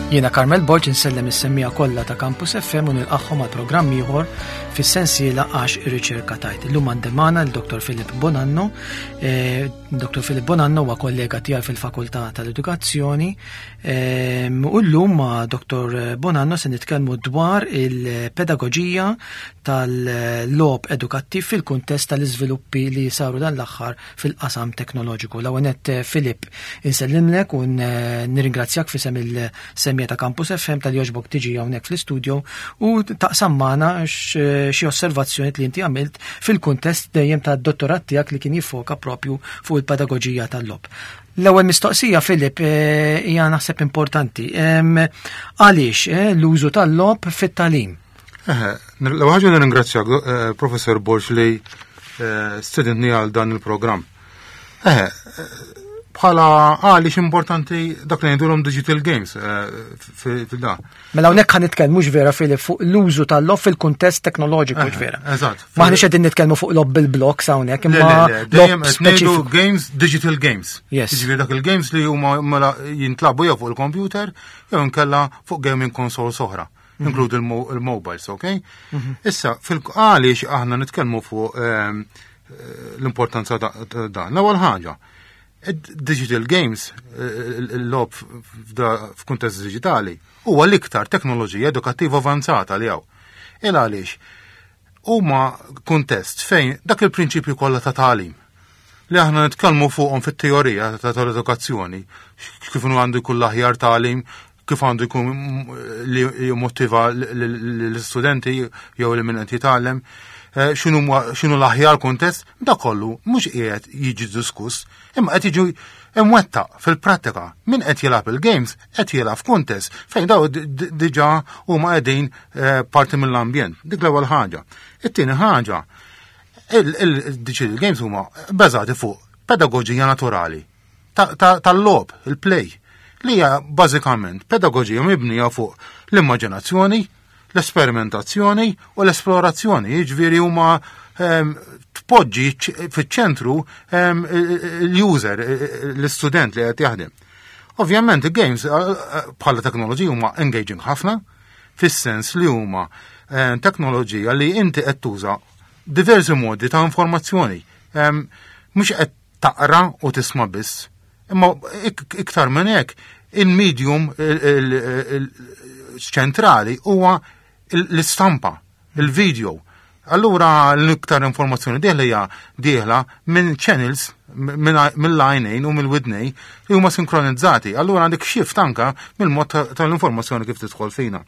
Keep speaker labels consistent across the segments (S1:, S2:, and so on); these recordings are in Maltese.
S1: Jiena Carmel Borg insellem is-semmija kollha ta' Campus FM u nilqagħhom għal programm ieħor fis-sensiela għax ir-riċerka tajt. Illum għandi magħna l-Dr. Filip Bonanno. Eh, Dr. Filip Bonanno huwa kollega tiegħi fil-Fakultà tal-Edukazzjoni eh, u llum ma' Dr. Bonanno se nitkellmu dwar il-pedagoġija tal-logħob edukattiv fil-kuntest tal-iżviluppi li saru dan l-aħħar fil-qasam teknoloġiku. L-ewwel nett eh, Filip, insellimlek u nirringrazzjak fisem il-semja ta' Campus FM tal-joġbok tiġi hawnhekk fl-istudio u taqsam magħna eh, xi osservazzjoni li inti għamilt fil-kuntest dejjem tad-dottorat tiegħek li kien jiffoka propju fuq il-pedagoġija tal-logħob. L-ewwel mistoqsija Filip eh, hija naħseb importanti. Għaliex l-użu tal-logħob fit-tagħlim?
S2: L-ewwel ħaġa nirringrazzjak eh, Professor Borg li eh, stedintni għal dan il-programm. Eh, bħala għaliex importanti dak li ngħidulhom digital games fil-da.
S1: Mela hawnhekk ħa nitkellmu vera Filip fuq l-użu tal-lob fil-kuntest teknoloġiku vera.
S2: Eżatt.
S1: Maħniex qegħdin nitkellmu fuq lob bil-blocks hawnhekk
S2: imma lob speċifiku. Games, digital games.
S1: Yes.
S2: Jiġifieri dak il-games li huma mela jintlagħbu jew fuq il-computer jew inkella fuq gaming consoles oħra. Mhm. Inkludi il-mobiles, ok? Mhm. Issa, fil-għaliex aħna nitkellmu fuq ehm, eh, l-importanza ta' dan. L-ewwel ħaġa, digital games, eh, il-lob f'kuntest digitali, huwa l-iktar teknoloġija edukattiva avanzata li hawn. Il għaliex huma kuntest fejn dak il-prinċipju kollha ta' tagħlim li aħna nitkellmu fuqhom fit-teorija ta' tal-edukazzjoni, kif għandu jkun l-aħjar tagħlim, kif għandu jkun li jimmotiva l-istudenti jew li min qed jitgħallem, eh, x'inhu l-aħjar kuntest, da kollu mhux qiegħed jiġi diskuss, imma qed jiġi imwettaq fil-prattika. Min qed jilgħab il-games qed jilgħab f'kuntest fejn daw diġà huma qegħdin eh, parti mill-ambjent. Dik l-ewwel ħaġa. It-tieni ħaġa, il-digital games huma bbażati fuq pedagoġija naturali tal-logħob, il-play, li hija bażikament pedagoġija mibnija fuq l-immaġinazzjoni, l-esperimentazzjoni u l-esplorazzjoni, jiġifieri huma ehm, tpoġġi fiċ-ċentru ehm, l-user, l-istudent li qed jaħdem. Ovvjament il-games eh, eh, bħala teknoloġija huma engaging ħafna, fis-sens li huma eh, teknoloġija li inti qed tuża diversi modi ta' informazzjoni. Ehm, mhux qed taqra u tisma' biss, imma iktar minn hekk il-medium ċentrali huwa l-istampa, il-video. Allura l-iktar informazzjoni dieħla hija dieħla minn channels mill-għajnejn u mill-widnej li huma sinkronizzati. Allura għandek shift anka mill-mod tal-informazzjoni kif tidħol fina.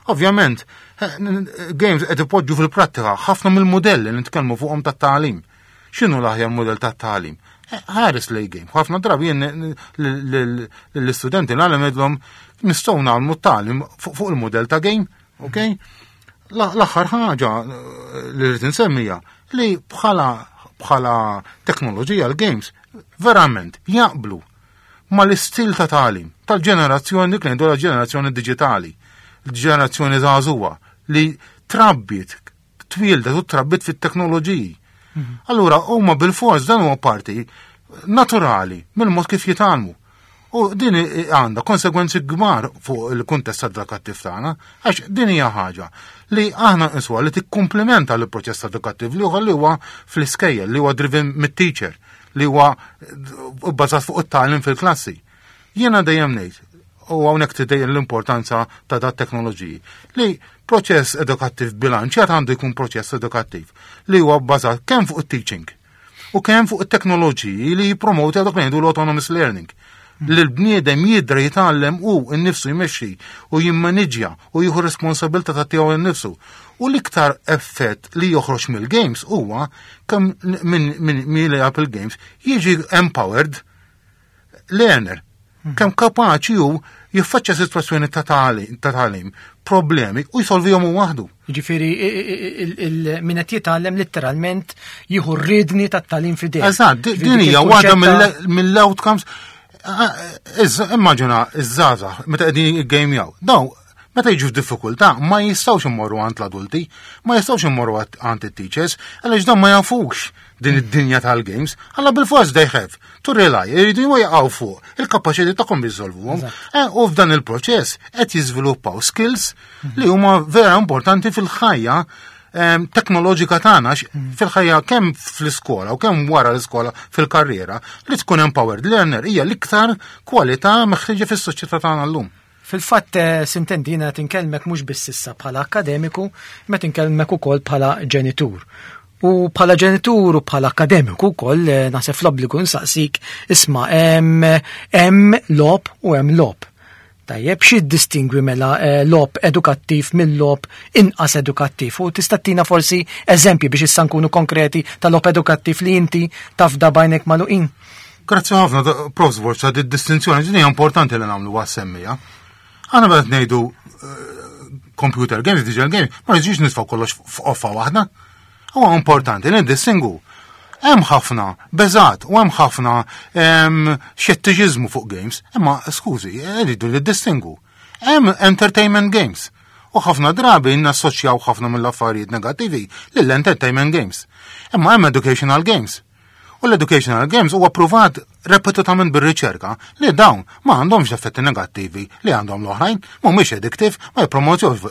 S2: Ovvjament, eh, games qed ipoġġu fil-prattika ħafna mill-modelli li nitkellmu fuqhom tat-tagħlim. X'inhu l-aħjar modell tat-tagħlim? Eh, ħares lej game. Ħafna drabi jien l-istudenti nagħlem idlhom nistgħu nagħmlu t-tagħlim fuq il-modell ta' game, ok? L-aħħar ħaġa eh, li rrid insemmija li bħala bħala teknoloġija l-games verament jaqblu ma l-istil ta' tagħlim tal-ġenerazzjoni li ngħidu ġenerazzjoni diġitali, l-ġenerazzjoni żagħżugħa li trabbiet twieldet u trabbiet fit-teknoloġiji. Mhm. Allura huma bil-fors dan huwa parti naturali mill-mod kif jitgħallmu. U din għandha konsegwenzi kbar fuq il-kuntest edukattiv tagħna, għax din hija ħaġa li aħna nqisuha li tikkumplimenta l-proċess edukattiv li huwa li huwa fl-iskejjel, li huwa driven mit-teacher, li huwa bbażat fuq it-tagħlim fil-klassi. Jiena dejjem ngħid, u hawnhekk tidejjem l-importanza ta' dat teknoloġiji, li proċess edukattiv bilanċjat għandu jkun proċess edukattiv li huwa bbażat kemm fuq it-teaching u kemm fuq it-teknoloġiji li jippromoti dak li ngħidu l-autonomous learning li l-bniedem jidra jitgħallem u nnifsu jmexxi u jimmaniġġja u jieħu responsabilità ta' tiegħu nnifsu. U l-iktar effett li joħroġ mill-games huwa kemm minn min, min li il-games jiġi empowered learner. Hmm. Kemm kapaċi hu jiffaċċja sitwazzjoni ta' tagħlim, problemi u jsolvihom hu waħdu.
S1: Jiġifieri min qed jitgħallem litteralment jieħu r-riedni tat-tagħlim f'idejh.
S2: Eżatt, din hija waħda mill-outcomes. Immaġina iż-żgħażagħ meta qegħdin jiggamjaw. Daw, Meta jiġu f'diffikultà ma jistgħux immorru għand l-adulti, ma jistgħux immorru għand it-teachers, għaliex dan ma jafux din id-dinja tal-games, għalla bil-fors they have to rely, jridu jaqgħu fuq il-kapaċità tagħhom biżolvuhom. Eh, u f'dan il-proċess qed jiżviluppaw skills li huma vera importanti fil-ħajja teknoloġika tagħna fil-ħajja kemm fl-iskola u kemm wara l-iskola fil-karriera li tkun empowered learner hija l-iktar kwalità meħtieġa fis-soċjetà tagħna llum.
S1: Fil-fatt, eh, sintendi jiena qed inkellmek mhux biss issa bħala akkademiku, imma qed inkellmek ukoll bħala ġenitur. U bħala ġenitur u bħala akkademiku wkoll eh, naħseb fl-obbligu nsaqsik isma' hemm logħob u hemm logħob. Tajjeb, xi distingwi mela eh, logħob edukattiv mill-logħob inqas edukattiv? U tista' tina forsi eżempji biex issa nkunu konkreti ta' logħob edukattiv li inti tafda bajnek magħluqin?
S2: Grazzi ħafna, Prof. Borg, ta' distinzjoni din hija importanti li nagħmlu għas-semmija. Aħna meta ngħidu eh, computer games, digital games, ma nġiġ nitfgħu kollox f'qoffa waħda. Huwa importanti li ndistingu. Hemm ħafna beżat u hemm ħafna xettiċiżmu fuq games, imma skużi, rridu li distingu. Hemm entertainment games. U ħafna drabi nassoċjaw ħafna mill-affarijiet negattivi lill-entertainment games. Imma hemm educational games. U l-educational games huwa pruvat repetutament bir-riċerka li dawn ma għandhomx effetti negattivi li għandhom l-oħrajn, mhumiex addictive, ma jippromozjux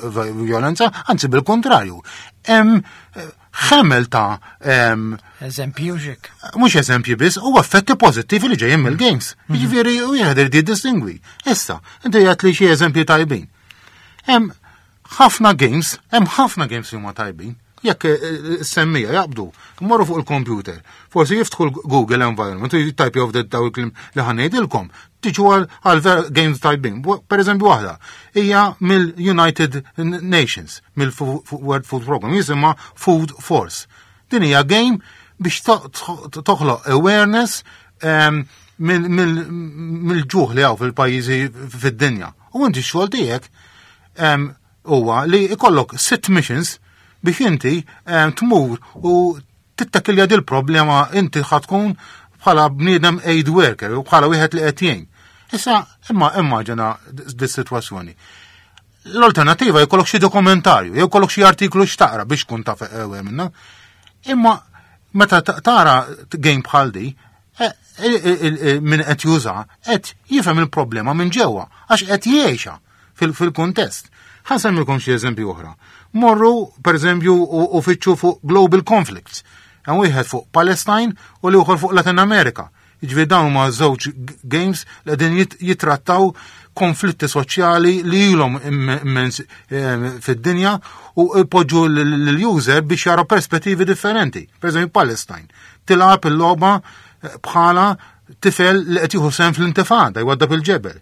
S2: violenza, anzi bil-kontrarju. Hemm eh, ħemel ta'
S1: eżempji u xek.
S2: Mhux eżempji biss, u effetti pożittivi li ġejjin mill-games. Mhm. Jiġifieri wieħed irid jiddistingwi. Issa, inti qed li xi eżempji tajbin. Hemm ħafna games, hemm ħafna games li huma tajbin. Jekk eh, eh, semmija jaqbdu, morru fuq il-computer, forsi jiftħu l-Google environment u jittajpjaw f'det daw il-klim li ħanejdilkom, tiġu għal games tajbin. Per eżempju waħda, hija mill-United Nations, mill-World Food Program, jisimha Food Force. Din hija game biex toħloq awareness ehm, mill-ġuħ li hawn fil-pajjiżi fid-dinja. U inti x-xogħol tiegħek ehm, huwa li ikollok sitt missions biex inti ehm, tmur u tittakilja dil problema inti ħatkun bħala bniedem aid worker u bħala wieħed li qed jgħin. Issa imma immaġina dis-sitwazzjoni. L-alternativa jkollok xi dokumentarju, jew jkollok xi artiklu x'taqra biex tkun taf ewe minna. Imma meta tara game bħal di, e, e, e, min qed juża qed jifhem il-problema minn ġewwa għax qed jgħixha fil-kuntest. Ħa nsemmilkom xi eżempju oħra. Morru, per eżempju, u fitxu fuq Global Conflicts. Hemm wieħed fuq Palestine u l-ieħor fuq Latin America. Jiġifieri dawn huma żewġ games li qegħdin jitrattaw konflitti soċjali li ilhom immens eh, fid-dinja u jpoġġu l-user biex jara perspettivi differenti. Per eżempju, Palestine. Tilgħab il-logħba eh, bħala tifel li qed jieħu sehem fl-intifada jwaddab il-ġebel.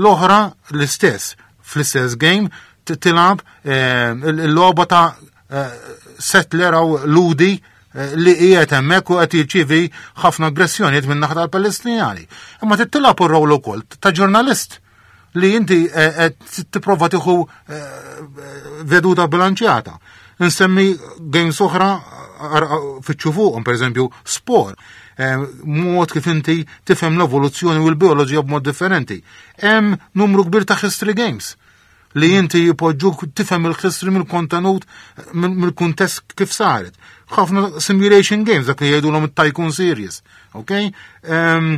S2: L-oħra l-istess, fl-istess game tilgħab eh, il-logħba ta' eh, settler għaw ludi eh, li qiegħed hemmhekk u qed jirċievi ħafna aggressjonijiet minn naħa tal-Palestinjani. Imma titilgħab ir-rol ukoll ta' ġurnalist li inti qed tipprova tieħu veduta bilanċjata. Nsemmi games oħra fitxu fuqhom, pereżempju, sport. Eh, mod kif inti tifhem l-evoluzzjoni u l-bioloġija b'mod differenti. Hemm numru kbir ta' history games li inti jipoġġuk tifhem il-history mill-kontenut mill-kuntest kif saret. Ħafna simulation games dak li jgħidulhom it-Tycoon series, ok? Ehm,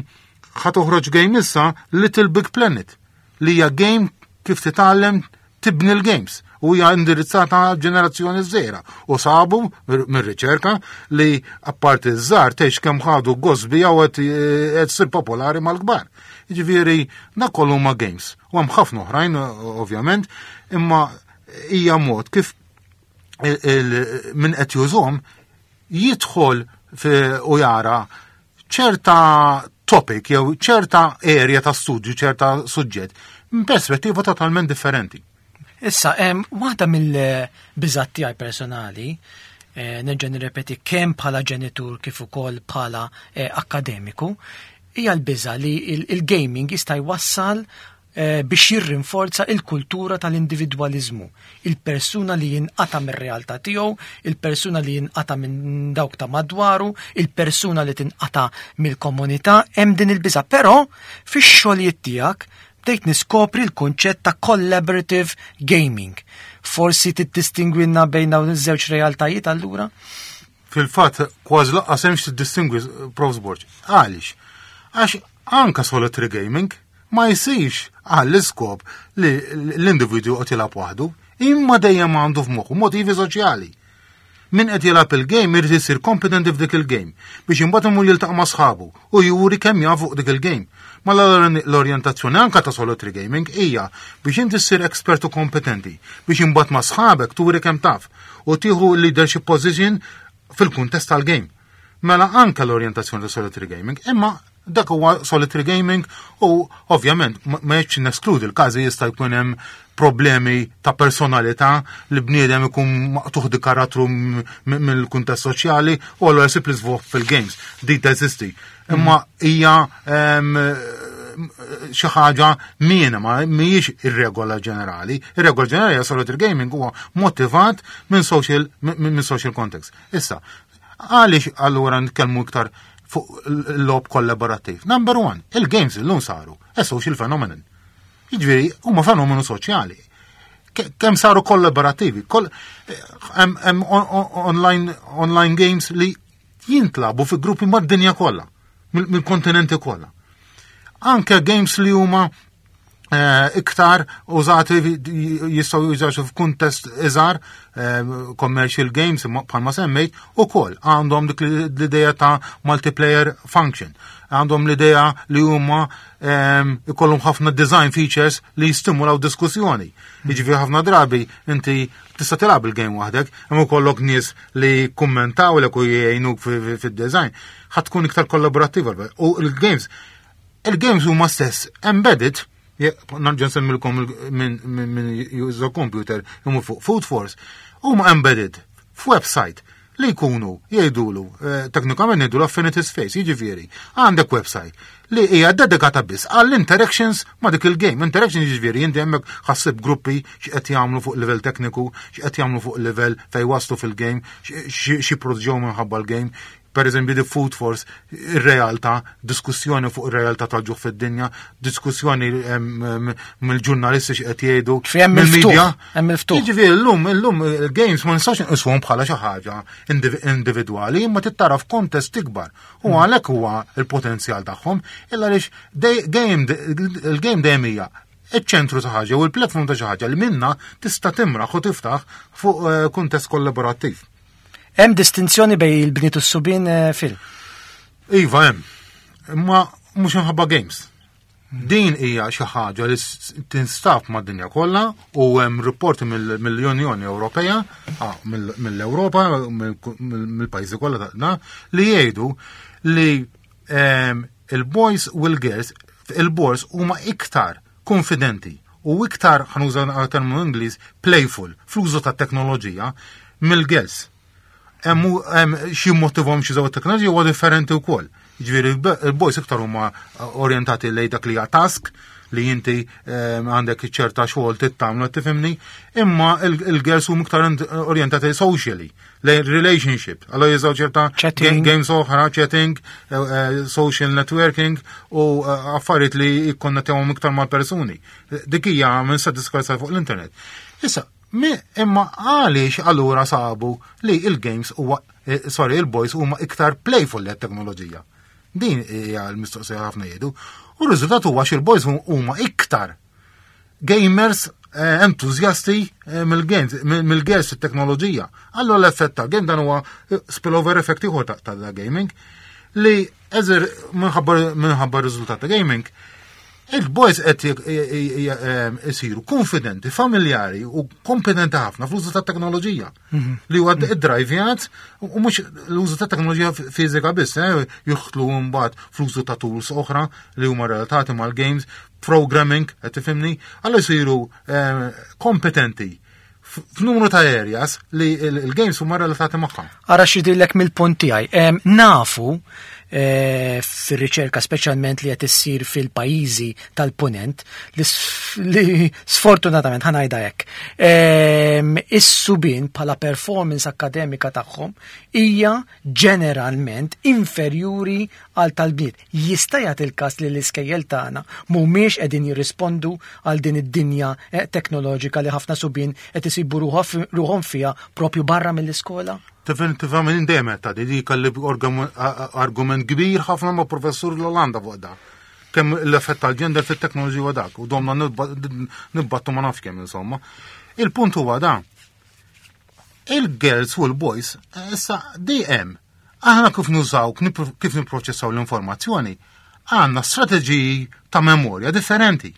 S2: ħa toħroġ game issa Little Big Planet li hija game kif titgħallem tibni l-games u hija indirizzata ġenerazzjoni żgħira u sabu mir-riċerka li apparti żgħar tgħix kemm ħadu gost bija u qed eh, ssir popolari mal-kbar. Jiġifieri dak kollu huma games u hemm ħafna oħrajn ovvjament, imma hija mod kif min qed jużhom jidħol u jara ċerta topic jew ċerta area ta' studju, ċerta suġġett, minn perspettiva totalment differenti.
S1: Issa, waħda mill-biżat tiegħi personali, eh, nerġa' nirrepeti kemm bħala ġenitur kif ukoll bħala eh, akkademiku, hija l-biża li il-gaming jista' jwassal Eh, biex jirrinforza il-kultura tal-individwaliżmu, il-persuna li jinqata' mir-realtà tiegħu, il-persuna li jinqata' minn dawk ta' madwaru, il-persuna li tinqata' mill-komunità, hemm din il-biża'. Però fix-xogħlijiet tiegħek bdejt niskopri l-kunċett ta' collaborative gaming. Forsi tiddistingwilna bejn dawn iż-żewġ realtajiet allura?
S2: Fil-fatt, kważi lanqas hemmx tiddistingwi, Prof. Borg. Għaliex? Għax anka solitary gaming ma jsirx għall-iskop li l-individwu qed jilgħab waħdu, imma dejjem għandu f'moħħu motivi soċjali. Min qed jilgħab il-game irid isir kompetenti f'dik il-game biex imbagħad imur jiltaqa' ma' sħabu u juri kemm jaf fuq dik il-game. Ma l-orjentazzjoni anka ta' solitary gaming hija biex inti ssir expert u kompetenti biex imbagħad ma' sħabek turi kemm taf u tieħu leadership position fil-kuntest tal-game. Mela anka l-orjentazzjoni ta' solitary gaming, imma dak huwa solitary gaming u ovvjament ma jekx neskludi l-każi jista' jkun hemm problemi ta' personalità li bniedem ikun maqtuħ di karattru mill-kuntest soċjali u allura jsib l-iżvog fil-games. Dik teżisti. Imma hija xi ħaġa minima, mhijiex ir-regola ġenerali. Ir-regola ġenerali hija solitary gaming huwa motivat minn social context. Issa, għaliex allura nitkellmu iktar fuq il-logħob kollaborattiv? Number one, il-games illum saru a social phenomenon. Jiġifieri huma fenomenu soċjali. Kemm saru kollaborattivi, hemm online games li jintlagħbu fi gruppi mad-dinja kollha, mill-kontinenti kollha. Anke games li huma iktar użati jistgħu jużaw f'kuntest iżgħar, commercial games bħalma semmejt, ukoll għandhom dik l-idea ta' multiplayer function. Għandhom l-idea li huma ikollhom ħafna design features li jistimulaw diskussjoni. Jiġifieri ħafna drabi inti tista' tilgħab il-game waħdek, imma jkollok nies li kummentaw lek u jgħinuk fid-design, ħa tkun iktar kollaborattiva. U il-games huma stess embedded, nerġa' nsemmilkom minn juża computer imur fuq Food Force, huma embedded f'website li jkunu jgħidulu, teknikament jgħidulu affinity space, jiġifieri, għandek website li hija dedikata biss għall-interactions ma' dik il-game. Interaction jiġifieri inti hemmhekk ħa ssib gruppi x'qed jagħmlu fuq livell tekniku, x'qed jagħmlu fuq livell fejn waslu fil-game, xi produġew minħabba l-game. Per eżempju, the Food Force, ir-realtà, diskussjoni fuq ir-realtà tal-ġuħ fid-dinja, diskussjoni mill-ġurnalisti x'qed jgħidu,
S1: Fi hemm il-ftuħ,
S2: mill-media.
S1: hemm il-ftuħ.
S2: Jiġifieri llum il-games ma nistax nqisuhom bħala xi ħaġa individwali, imma tittara f'kontest ikbar. U għalhekk huwa il-potenzjal tagħhom, illa għaliex il-game dejjem hija iċ-ċentru ta' ħaġa u l-platform ta' xi ħaġa li minna tista' timraħ u tiftaħ fuq kuntest kollaborattiv.
S1: Hemm distinzjoni bejn il-bniet u s-subien, Phil?
S2: Iva hemm. Imma mhux minħabba games. Din hija xi ħaġa li tinstab mad-dinja kollha u hemm riporti mill-Unjoni Ewropea, mill-Ewropa, mill-pajjiżi kollha tagħna li jgħidu li il-boys u l-girls, il-boys huma iktar konfidenti u iktar, ħa nuża terminu Ingliż, playful fl-użu ta' teknoloġija mill-girls. Hemm xi motivhom xi żewġ teknoloġija huwa differenti wkoll. Jiġifieri il-boys iktar huma orjentati lejn dak li hija task li inti għandek ċerta xogħol tittamlu, tifhimni, imma il-girls huma iktar orjentati socially, lejn relationship, allora jużaw ċerta
S1: Chatting.
S2: games oħra, chatting, social networking u affarijiet li jikkonnettewhom iktar mal-persuni. Dik hija minn sa diskorsa fuq l-internet. Issa, imma għaliex allura sabu li il-games huwa sorry, il-boys huma iktar playful li teknoloġija. Din hija l-mistoqsija ħafna jgħidu. U r-riżultat huwa xi l-boys huma iktar gamers entuzjasti mill-games, mill-girls fit-teknoloġija. Allura l-effett tal-game dan huwa spillover effect ieħor ta' gaming li eżer minħabba r-riżultat ta' gaming il-boys qed isiru konfidenti, familjari u kompetenti ħafna fl-użu ta' teknoloġija. Li huwa id-drivjat u mhux l-użu ta' teknoloġija fiżika biss, jidħlu mbagħad fl-użu ta' tools oħra li huma relatati mal-games, programming, qed tifhimni, allura jsiru kompetenti f'numru ta' areas li il-games huma relatati magħha.
S1: Ara x'jidhirlek mill-punt tiegħi. Nafu eh, fir-riċerka speċjalment li qed issir fil-pajjiżi tal-punent li sfortunatament ħa ngħidha hekk. Ehm, is-subien bħala performance akkademika tagħhom hija ġeneralment inferjuri għal tal-bniet. Jista' jagħti il-każ li l-iskejjel tagħna mhumiex qegħdin jirrispondu għal din id-dinja eh, teknoloġika li ħafna subien qed isibu ruħhom fiha propju barra mill-iskola?
S2: Definitivament dejjem ta' di kelli argument kbir ħafna ma' professur l-Olanda fuq da. Kemm l-effett tal-gender fit-teknoloġija huwa dak u domna nibbattu ma nafx kemm insomma. Il-punt huwa da. Il-girls u l-boys issa dejjem aħna kif nużaw, kif nipproċessaw l-informazzjoni, għandna strateġiji ta' memorja differenti.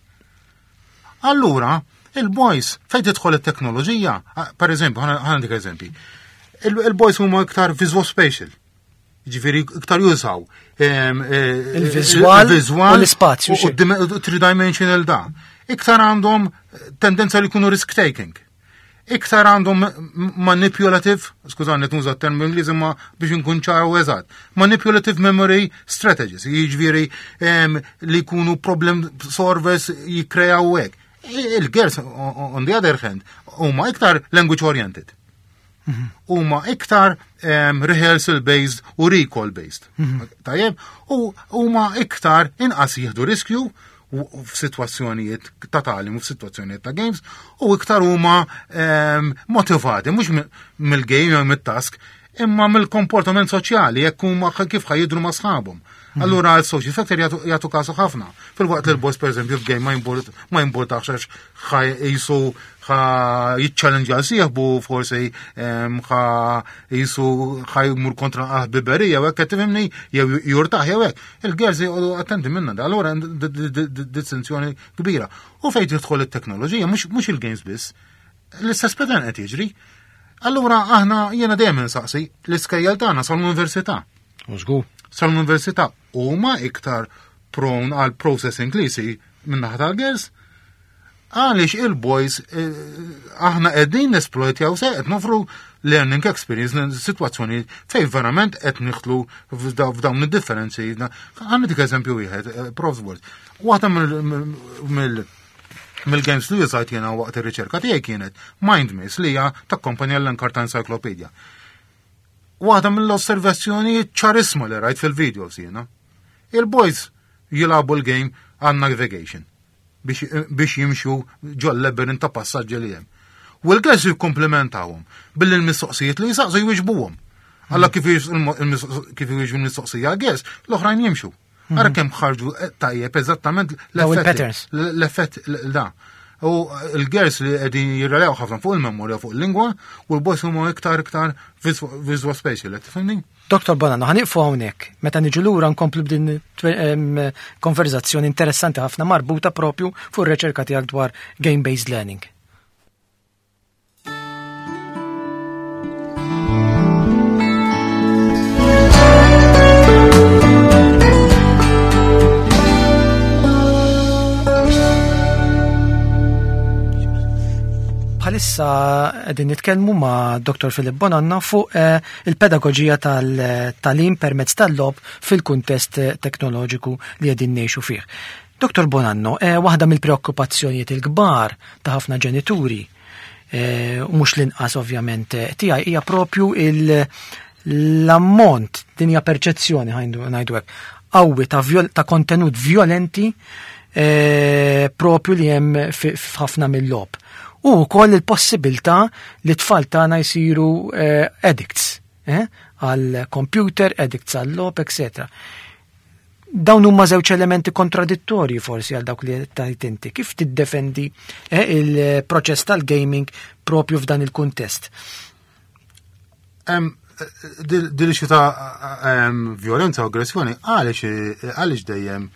S2: Allura, il-boys, fejn tidħol it-teknoloġija, per eżempju, ħana dik eżempji, il-boys huma iktar visual spatial. Ġifieri iktar jużaw
S1: eh, il-viżwal u l-ispazju.
S2: U three-dimensional da. Iktar għandhom tendenza li jkunu risk taking iktar għandhom manipulative, skużani nuża term Ingliż imma biex nkun ċar u eżatt, manipulative memory strategies, jiġifieri li jkunu problem solvers jikkrejaw hekk. Il-girls, on the other hand, huma iktar language oriented. Mhm. Huma iktar rehearsal based u recall based. Mhm. Tajjeb, u huma iktar inqas jieħdu riskju f'sitwazzjonijiet ta' tagħlim u f'sitwazzjonijiet ta' games u iktar huma motivati mhux mill-game jew mit-task imma mill-komportament soċjali jekk huma kif ħa jidhru ma' sħabhom. Allura għal social factor jagħtu kasu ħafna. Fil-waqt li l-boss pereżempju f'game ma jimpurtax għax ħa jisu ħa jiċċallenġja sieħbu forsi ħa jisu ħa jmur kontra ħbiberija u hekk qed tifhimni jew jurtaħ jew hekk. Il-girls jgħodu attenti minna da, allura distinzjoni kbira. U fejn tidħol it-teknoloġija mhux il-games biss. L-istess pattern qed jiġri. Allura aħna jiena dejjem insaqsi l-iskejjel tagħna sal-università.
S1: Żgur.
S2: Sal-università huma iktar prone għal processing li jsir minn naħa tal-girls għaliex il-boys eh, aħna qegħdin nesploitjaw se qed nofru learning experience situazzjoni fej verament qed nidħlu f'dawn id-differenzi. Ħa ntik eżempju wieħed, eh, Prof. Word. Waħda mill mill-games li użajt jiena waqt ir-riċerka tiegħi kienet Mind Maze li hija takkompanja l-Encarta Encyclopedia. Waħda mill-osservazzjoni ċarissima li rajt fil-videos jiena. Il-boys jilagħbu l-game għan navigation biex jimxu ġol labyrinth ta' passaġġi li hemm. U l-girls jikkomplementawhom billi l-mistoqsijiet li jisaqsu jwiġbuhom. Alla kif kif jwiġbu l-mistoqsija l-girls, l-oħrajn jimxu. Ara kemm ħarġu eh, tajjeb eżattament
S1: l-effett.
S2: L-effett da. U l-girls li qegħdin jirrelew ħafna fuq il-memorja fuq il-lingwa u l-boys huma iktar iktar visual spatial, tifhimni?
S1: Dr. Bonanno, ħa nieqfu hawnhekk. Meta niġu lura nkomplu b'din konverzazzjoni interessanti ħafna marbuta propju fuq ir-riċerka tiegħek dwar game-based learning. Bħalissa qegħdin nitkellmu ma' Dr. Philip Bonanno fuq eh, il-pedagoġija tal-tagħlim permezz tal-logħob fil-kuntest teknoloġiku li qegħdin ngħixu fih. Dr. Bonanno, eh, waħda mill-preokkupazzjonijiet il-kbar ta' ħafna ġenituri, eh, u mhux l-inqas ovvjament eh, tiegħi hija propju l-ammont din hija perċezzjoni ngħidu hekk qawwi ta', ta kontenut violenti eh, propju li hemm f'ħafna mill-logħob. U wkoll il-possibilità li tfal tagħna jsiru eh, addicts eh, għal computer, addicts għal logħob, etc. Dawn huma żewġ elementi kontradittorji forsi għal dawk li tajt inti. Kif tiddefendi eh, il-proċess tal-gaming propju f'dan il-kuntest?
S2: Dil xi ta' violenza u aggressjoni għaliex għaliex dejjem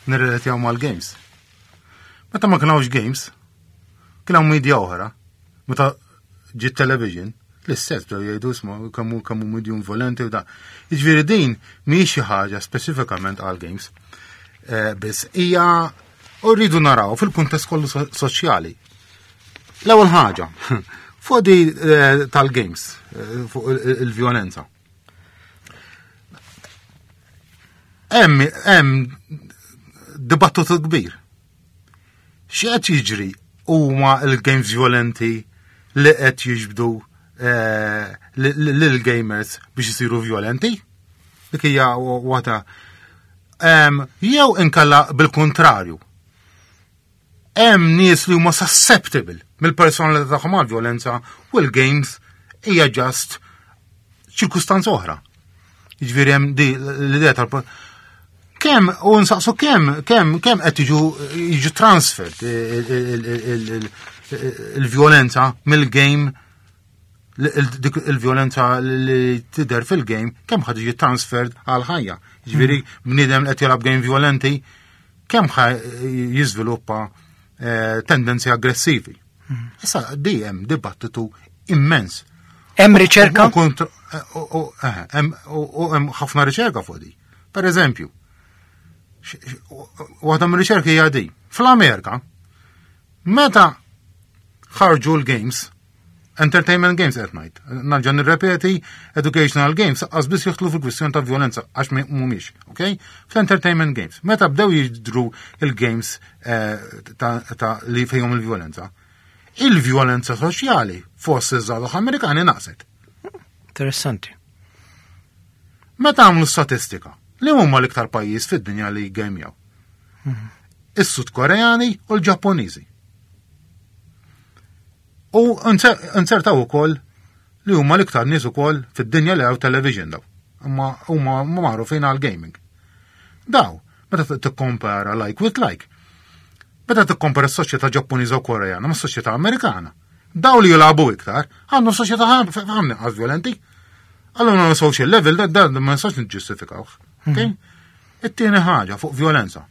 S2: nirrelatjaw mal-games. Meta ma kienx games, kien hawn media oħra. Meta ġiet television, l-istess bdew jgħidu isma' kemm hu kemm hu medium violenti u da. Jiġifieri din mhijiex xi ħaġa speċifikament għal games. Eh, biss hija u rridu naraw fil-kuntest kollu soċjali. L-ewwel ħaġa, fuq di eh, tal-games, eh, fuq il-vjolenza. Hemm hemm dibattitu kbir. X'qed jiġri huma l-games violenti li qed jiġbdu eh, lill-gamers biex isiru violenti? Dik hija waħda. Jew inkella bil-kontrarju. Hemm nies li huma susceptible mill-personalità tagħhom għal violenza u l-games hija just ċirkustanza oħra. Jiġifieri hemm di l-idea tal Kemm u nsaqsu kemm kemm kemm qed jiġu jiġu transferred il-vjolenza mill-game dik il-vjolenza li tidher fil-game kemm ħad jiġi transferred għal ħajja. Jiġifieri hmm. bniedem qed jilgħab game violenti kemm ħa jiżviluppa eh, tendenzi aggressivi. Hmm. Issa di hemm dibattitu immens.
S1: Hemm riċerka?
S2: Eh, u hemm ħafna riċerka fuq di. Per eżempju, waħda mir-riċerki hija di. Fl-Amerika, meta ħarġu l-games, entertainment games qed ngħid, narġa' nirrepeti, educational games qas biss jidħlu fil-kwistjoni ta' violenza għax mhumiex, ok? Fl-entertainment games, meta bdew jidru il-games eh, ta' li fejhom il-violenza, il-violenza soċjali fost iż-żgħażagħ Amerikani naqset.
S1: Interessanti.
S2: Meta għamlu statistika, li huma l-iktar pajjiż fid-dinja li jgejmjaw? Is-Sud Koreani u l-Ġappuniżi. U nzertaw ukoll li huma l-iktar nies ukoll fid-dinja li għaw television daw. Imma huma magħrufin għal gaming. Daw, meta tikkompara like with like, meta tikkompara s-soċjetà Ġappuniża u Koreana ma' s-soċjetà Amerikana, daw li jilagħbu iktar għandhom soċjetà ħafna inqas violenti. Allura no social level da da ma nistax niġġustifikawh. Okay? Mhm. It-tieni ħaġa fuq violenza.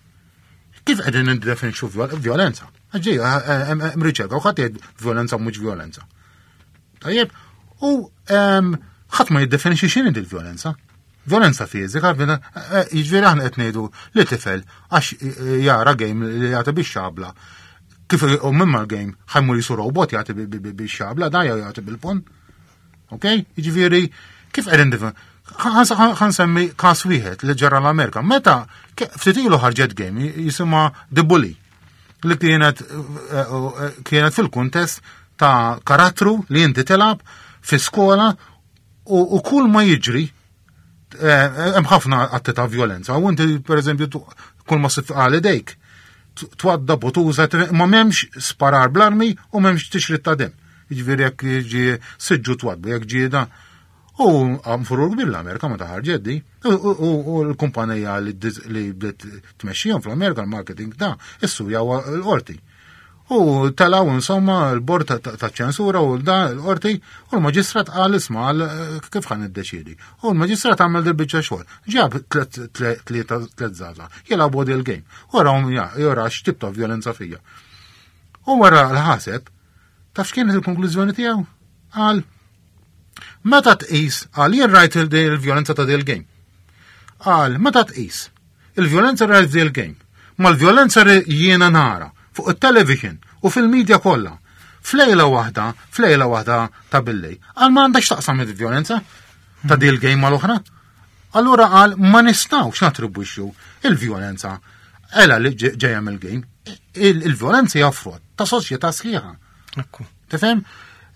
S2: Kif qegħdin niddefinixxu violenza? Ġej, eh, eh, hemm riċerka u ħadd jgħid violenza mhux violenza. Tajjeb, u ehm, ħadd ma jiddefinixxi x'inhi il-violenza. Violenza fiżika, eh, jiġifieri aħna qed ngħidu li tifel għax jara game li jagħti bix xabla. Kif u minn mal-game ħajmur jisu robot jagħti bix xabla, da jew jagħti bil-pon. Ok? Jiġifieri kif qegħdin dif ħansemmi każ wieħed li ġara l-Amerika. Meta ftit ilu ħarġet game jisimha The Bully li kienet eh, eh, kienet fil-kuntest ta' karattru li inti tilab fi skola u kull ma jiġri eh, hemm ħafna atti ta' violenza. U inti pereżempju kull ma sif għal idejk twadda butuża ma m'hemmx sparar bl-armi u m'hemmx tixrid ta' dem. Jiġifieri jekk ġi siġġu twadbu, jekk ġie da. U għam furur kbir l-Amerika ma taħarġet di. U l-kumpanija li bdiet tmexxihom fl-Amerika l-marketing da, issu jawa l-qorti. U telaw insomma l-bord ta' ċensura u da l-qorti u l-maġistrat qal isma' għal kif ħan iddeċiedi. U l-maġistrat għamel dil-biċċa xogħol. Ġab tlieta tliet żgħażagħ jilagħbu il-game. Wara jora x'tip ta' violenza fija. U wara l-ħaseb Taf x'kienet il-konklużjoni tiegħu? Qal, meta tqis, qal jien rajt il-vjolenza ta' dil game. Qal, meta tqis, il-vjolenza rajt dil game, mal-vjolenza jiena nara fuq it-television u fil-medja kollha. Flejla waħda, flejla waħda ta' billej, qal ma għandax taqsam il-vjolenza ta' dil game mal-oħra. Allura qal ma nistgħux natribwixxu il-vjolenza ela li ġejja mill-game. Il-vjolenza hija frott ta' soċjetà sħiħa. Tifhem?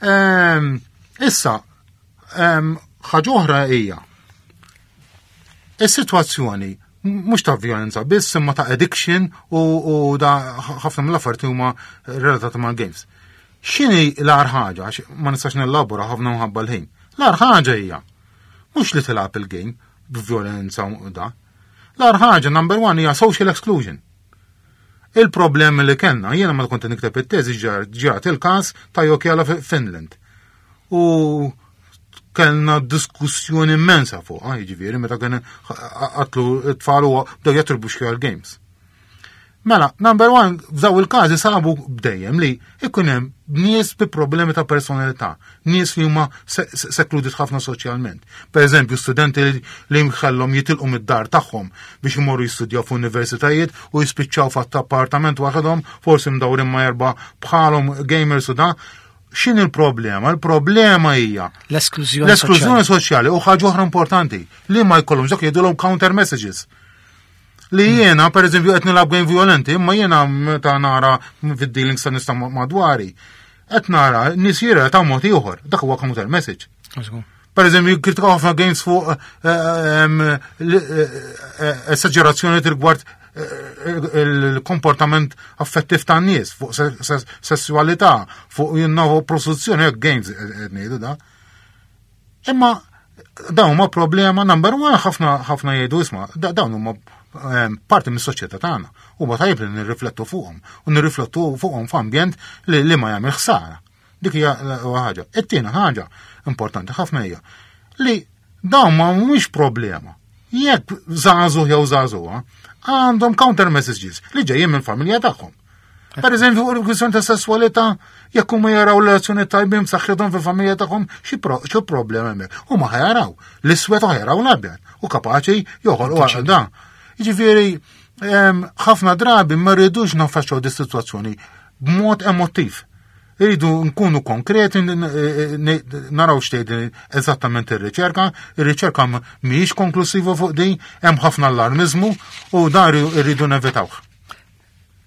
S2: Ehm, issa, ehm, ħaġa oħra hija is-sitwazzjoni mhux ta' vjolenza biss imma ta' addiction u da ħafna mill-affarijiet huma relatati mal games. X'inhi l-agħar ħaġa, ma nistax nellabora ħafna mħabba l-ħin. L-agħar ħaġa hija Mhux li tilgħab il-game b'vjolenza u da. L-agħar ħaġa number one hija social exclusion. Il-problemi li kellna, jiena ma kont nikteb it-teżi ġrat il-każ ta' Jokjala Finland. U kellna diskussjoni immensa fuq, ah, jiġifieri meta kien qatlu t-tfal u bdew jattribwixxu għal games. Mela, number one, f'daw il-każi sabu bdejjem li ikun hemm nies bi problemi ta' personalità, nies li huma sekludit ħafna soċjalment. Per eżempju, studenti li mħallhom jitilqu mid-dar tagħhom biex imorru jistudjaw f'universitajiet u jispiċċaw fatt appartament waħedhom, forsi mdawrin ma' erba' bħalhom gamers u da. X'in il-problema? Il-problema hija
S1: l-esklużjoni
S2: l-esklużjoni soċjali u ħaġa oħra importanti li ma jkollhomx dak jgħidulhom counter messages. Li jiena, per eżempju, qed nilgħab game violenti, imma jiena meta nara fid-dealings ta' nista' madwari, qed nara nies ta' mod ieħor, dak huwa counter message. Per eżempju, kritikaw ħafna games fuq eh, eh, eh, esagerazzjoni rigward il-komportament affettiv tan nies fuq sessualità, fuq jinnovu prostituzzjoni, games qed ngħidu da. Imma dawn huma problema number one ħafna ħafna jgħidu isma' dawn huma ehm, parti mis-soċjetà tagħna. Huma tajjeb li nirriflettu fuqhom u nirriflettu fuqhom f'ambjent li, li ma jagħmel ħsara. Dik hija ħaġa. It-tieni ħaġa importanti ħafna hija li dawn ma mhumiex problema. Jekk żagħżugħ jew żagħżugħa għandhom counter messages li ġejjin mill-familja tagħhom. Per eżempju, fuq il-kwistjoni ta' sessualità, jekk huma jaraw relazzjoni tajbin b'saħħithom fil-familja tagħhom, xi problema hemmhekk. Huma ħajaraw l-iswed u ħajaraw l-abjad u kapaċi joħolqu għal dan. Jiġifieri, ħafna drabi ma rridux naffaċċaw di sitwazzjoni b'mod emotiv. Irridu nkunu konkreti, naraw x'tgħid eżattament ir-riċerka, ir-riċerka mhijiex konklusiva fuq din, hemm ħafna allarmiżmu u dar irridu nevitawh.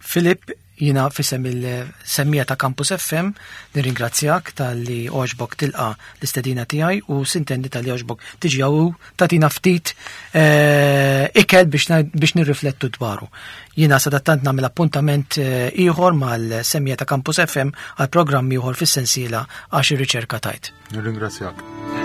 S1: Filip, jina fisem il-semmija ta' Campus FM, nirringrazzjak tal-li oġbok tilqa l-istedina tiegħi u sintendi tal-li oġbok tiġi għaw tatina ftit eh, ikel biex nirriflettu dwaru. Jina sadattant nagħmel appuntament eh, ieħor mal-semmija ta' Campus FM għal programm ieħor fis-sensiela għax ir-riċerka tajt.
S2: Nirringrazzjak.